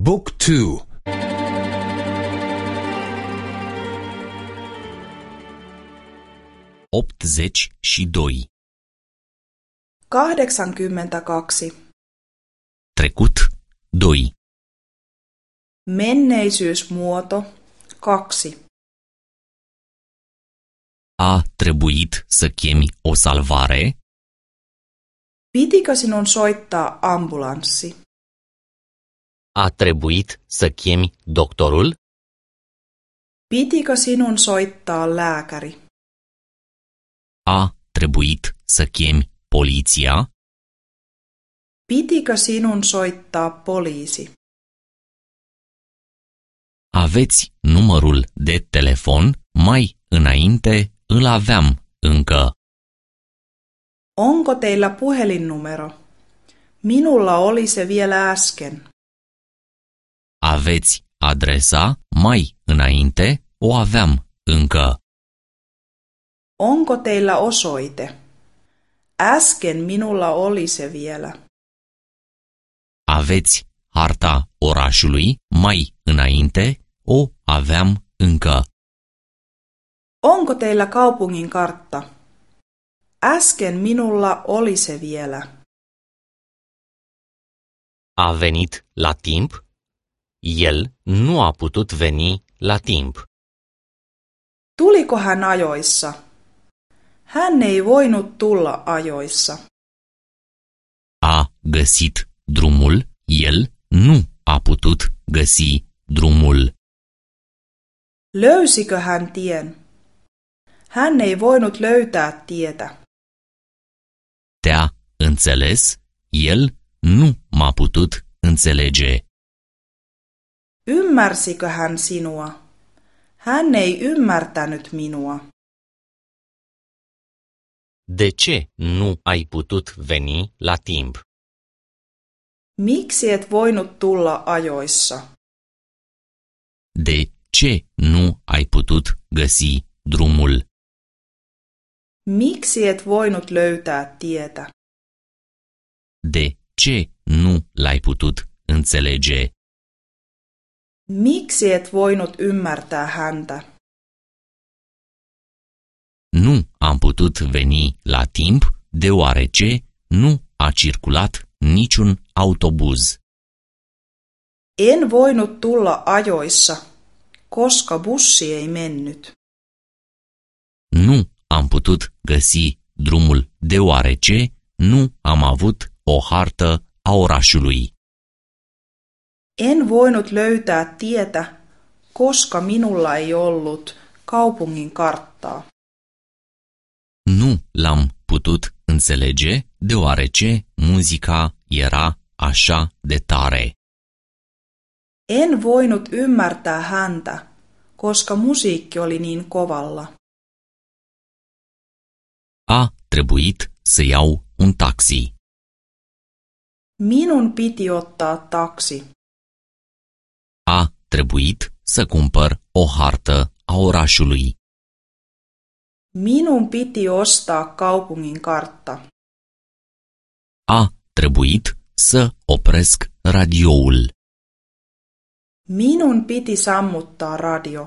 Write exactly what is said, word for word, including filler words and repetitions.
Book two. Optzeci și doi. Kahdeksankymmentäkaksi. Trecut doi. Menneisyysmuoto kaksi. A trebuit să chemi o salvare? Pitikö sinun soittaa ambulanssi? A trebuit să chemi doctorul? Pitikö sinun soittaa lääkäri? A trebuit să chemi poliția? Pitikö sinun soittaa poliisi? Aveți numărul de telefon? Mai înainte îl aveam încă. Onko teillä puhelinnumero? Minulla oli se vielä äsken. Aveți adresa? Mai înainte o aveam încă. Onko teillä osoite? Äsken minulla oli se vielä. Aveți harta orașului? Mai înainte o aveam încă. Onko teillä kaupungin kartta? Äsken minulla oli se vielä. A venit la timp? El nu a putut veni la timp. Tuliko hän ajoissa? Hän ei voinut tulla ajoissa. A găsit drumul? El nu a putut găsi drumul. Löysikö hän tien? Hän ei voinut löytää tietä. Te-a înțeles? El nu m-a putut înțelege. Ymmärsikö hän sinua? Hän ei ymmärtänyt minua. De ce nu ai putut veni la timp? Miksi et voinut tulla ajoissa? De ce nu ai putut găsi drumul? Miksi et voinut löytää tietä? De ce nu l-ai putut înțelege? Miksi et voinut ymmärtää häntä? Nu am putut veni la timp deoarece nu a circulat niciun autobuz. En voinut tulla ajoissa, koska bussi ei mennyt. Nu am putut găsi drumul deoarece nu am avut o hartă a orașului. En voinut löytää tietä, koska minulla ei ollut kaupungin karttaa. Nu l-am putut înțelege deoarece muzica era așa de tare. En voinut ymmärtää häntä, koska musiikki oli niin kovalla. A trebuit să iau un taxi. Minun piti ottaa taksi. A trebuit să cumpăr o hartă a orașului. Minun piti ostaa kaupungin kartta. A trebuit să opresc radioul. Minun piti sammuttaa radio.